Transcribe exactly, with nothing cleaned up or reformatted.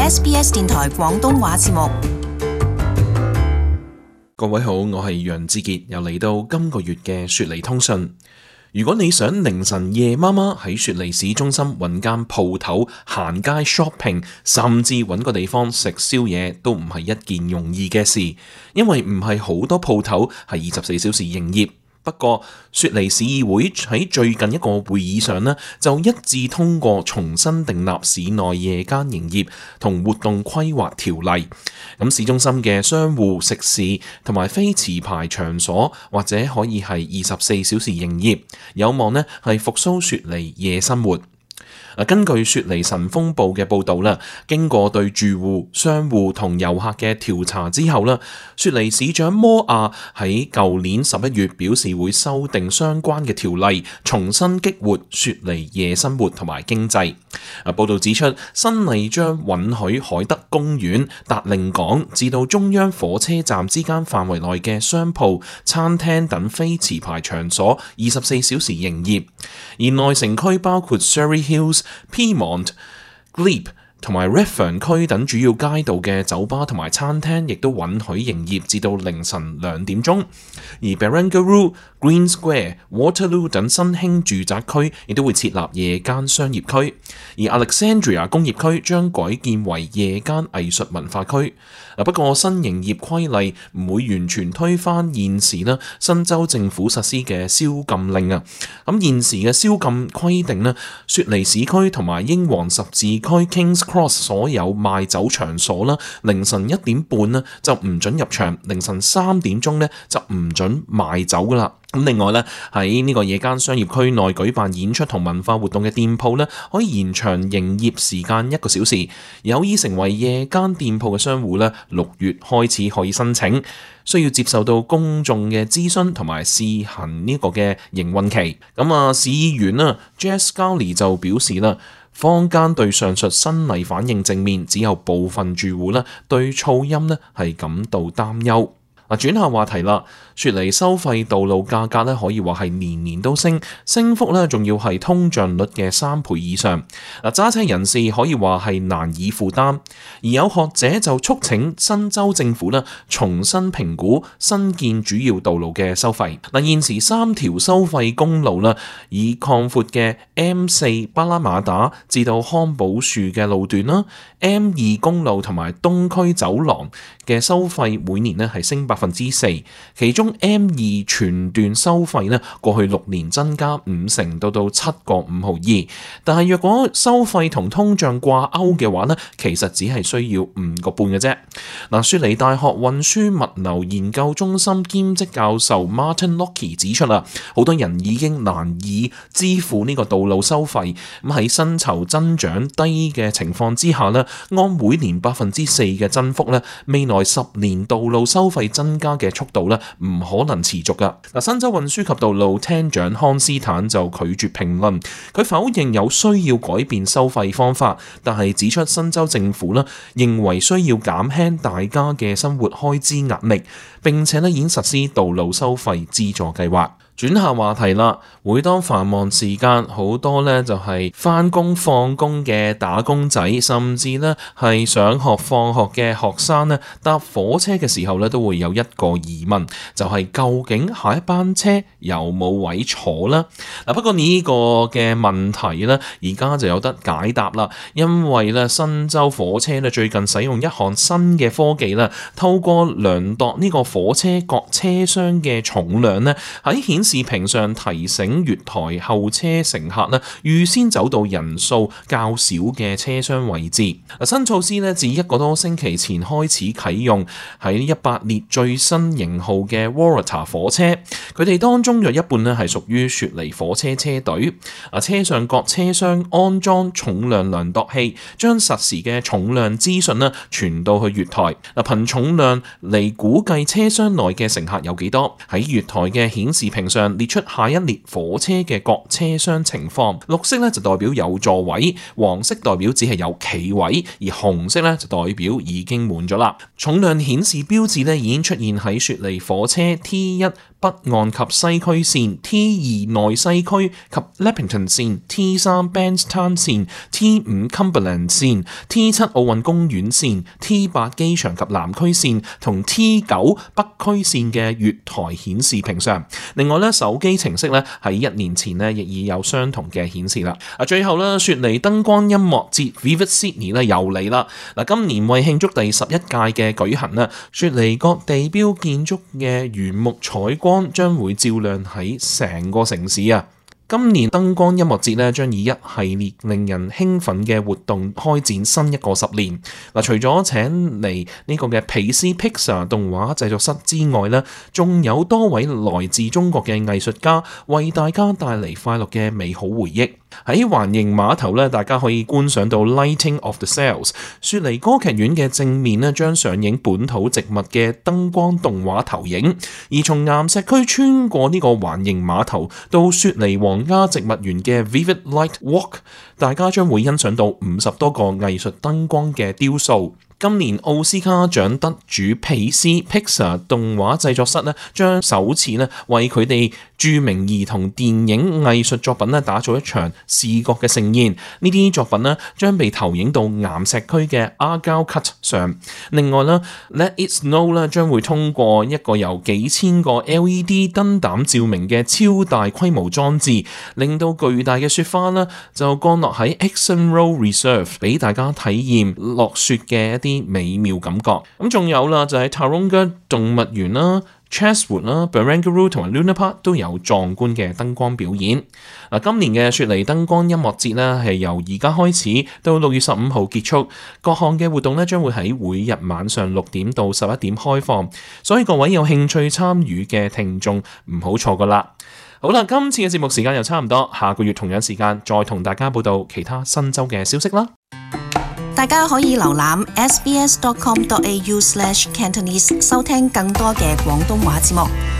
S B S 電台廣東話節目。各位好，我係楊志傑，又嚟到今個月嘅雪梨通訊。如果你想凌晨夜媽媽喺雪梨市中心揾間鋪頭行街 shopping， 甚至揾個地方食宵夜，都唔係一件容易嘅事，因為唔係好多鋪頭係二十四小時營業。不過，雪梨市議會喺最近一個會議上呢，就一致通過重新訂立市內夜間營業同活動規劃條例。咁市中心嘅商戶、食肆同埋非持牌場所，或者可以係二十四小時營業，有望呢係復甦雪梨夜生活。根據雪梨晨鋒報嘅報導啦，經過對住戶、商戶同遊客嘅調查之後啦，雪梨市長摩亞喺舊年十一月表示會修訂相關嘅條例，重新激活雪梨夜生活同埋經濟。啊，報導指出，新例將允許海德公園、達令港至到中央火車站之間範圍內嘅商鋪、餐廳等非持牌場所二十四小時營業，而內城區包括 Surrey Hills、Piedmont、Glebe 同埋 Redfern 區等主要街道嘅酒吧同埋餐廳亦都允許營業至到凌晨兩點鐘，而 Barangaroo、Green Square、Waterloo 等新興住宅區亦都會設立夜間商業區，而 Alexandria 工業區將改建為夜間藝術文化區。不過新營業規例唔會完全推翻現時呢新州政府實施嘅宵禁令啊。咁現時嘅宵禁規定呢，雪梨市區同埋英皇十字區 Kings Cross 所有賣酒場所啦，凌晨一點半呢就唔准入場，凌晨三點鐘呢就唔准賣酒噶啦。咁另外咧，喺呢個夜間商業區內舉辦演出同文化活動嘅店鋪咧，可以延長營業時間一個小時。有意成為夜間店鋪嘅商戶咧，六月開始可以申請，需要接受到公眾嘅諮詢同埋試行呢個嘅營運期。咁啊，市議員啊 Jess Gowley 就表示啦，坊間對上述新例反應正面，只有部分住戶咧對噪音咧係感到擔憂。嗱，轉下話題啦。雪梨收費道路價格咧，可以話係年年都升，升幅咧仲要係通脹率嘅三倍以上。嗱，揸車人士可以話係難以負擔，而有學者就促請新州政府咧重新評估新建主要道路嘅收費。嗱，現時三條收費公路啦，以擴闊嘅 M 四巴拉馬打至到康寶樹嘅路段啦 ，M 二公路同埋東區走廊嘅收費每年咧係升百分之四，其中M 二全段收費咧，過去六年增加五成，到到七個五毫二。但係若果收費同通脹掛鈎嘅話咧，其實只係需要五個半嘅啫。嗱，雪梨大學運輸物流研究中心兼職教授 Martin Lockie 指出啦，好多人已經難以支付呢個道路收費。咁喺薪酬增長低嘅情況之下咧，按每年百分之四嘅增幅咧，未來十年道路收費增加嘅速度咧，唔可能持續噶。嗱，新州運輸及道路廳長康斯坦就拒絕評論，佢否認有需要改變收費方法，但係指出新州政府咧認為需要減輕大家嘅生活開支壓力，並且咧已經實施道路收費資助計劃。轉下話題啦，每當繁忙時間，好多咧就係返工放工嘅打工仔，甚至咧係上學放學嘅學生咧，搭火車嘅時候咧都會有一個疑問，就係究竟下一班車有冇位坐啦？嗱，不過呢個嘅問題咧，而家就有得解答啦，因為咧新州火車咧最近使用一項新嘅科技啦，透過量度呢個火車各車廂嘅重量咧，喺顯視屏上提醒月台候車乘客咧，預先走到人數較少嘅車廂位置。新措施咧自一個多星期前開始啟用，喺一百列最新型號嘅 Waratah 火車，佢哋當中約一半咧係屬於雪梨火車車隊。啊，車上各車廂安裝重量量度器，將實時嘅重量資訊咧傳到去月台。嗱，憑重量嚟估計車廂內嘅乘客有幾多。喺月台嘅顯示屏上列出下一列火車嘅各車廂情況，綠色咧就代表有座位，黃色代表只係有企位，而紅色咧就代表已經滿咗啦。重量顯示標誌咧已經出現喺雪梨火車 T 一北岸及西區線 T 二內西區及 Leppington 線 T 三 Bankstown 線 T 五 Cumberland 線 T 七奧運公園線 T 八機場及南區線同 T 九北區線嘅月台顯示屏上。另外咧，手機程式咧喺一年前咧亦已有相同嘅顯示啦。啊，最後咧，雪梨燈光音樂節 Vivid Sydney 咧又嚟啦。嗱，今年為慶祝第十一屆嘅舉行啦，雪梨各地標建築嘅原木彩光將會照亮喺成個城市啊！今年燈光音樂節咧將以一系列令人興奮嘅活動開展新一個十年。嗱，除咗請嚟呢個嘅皮斯 Pixar 動畫製作室之外咧，仲有多位來自中國嘅藝術家為大家帶嚟快樂嘅美好回憶。喺環形碼頭咧，大家可以觀賞到 Lighting of the Sails。雪梨歌劇院嘅正面咧將上映本土植物嘅燈光動畫投影，而從岩石區穿過呢個環形碼頭到雪梨皇家植物園嘅 Vivid Light Walk， 大家將會欣賞到五十多個藝術燈光嘅雕塑。今年奧斯卡獎得主皮斯 Pixar 動畫製作室咧，將首次咧為佢哋著名兒童電影藝術作品咧打造一場視覺嘅盛宴。呢啲作品咧將被投影到岩石區嘅 Argyle Cut 上。另外咧 Let It Snow 咧將會通過一個由幾千個 L E D 燈膽照明嘅超大規模裝置，令到巨大嘅雪花咧就降落喺 Exon Road Reserve， 俾大家體驗落雪嘅一啲啲美妙感覺。咁仲有啦，就係 Taronga 動物園啦、Chatswood 啦、Barangaroo 同埋 Luna Park 都有壯觀嘅燈光表演。嗱，今年嘅雪梨燈光音樂節呢，係由而家開始到六月十五號結束，各項嘅活動呢，將會喺每日晚上六點到十一點開放，所以各位有興趣參與嘅聽眾唔好錯過啦。好啦，今次嘅節目時間又差唔多，下個月同樣時間再同大家報道其他新州嘅消息啦。大家可以瀏覽 s b s dot com dot a u slash cantonese 收聽更多嘅廣東話節目。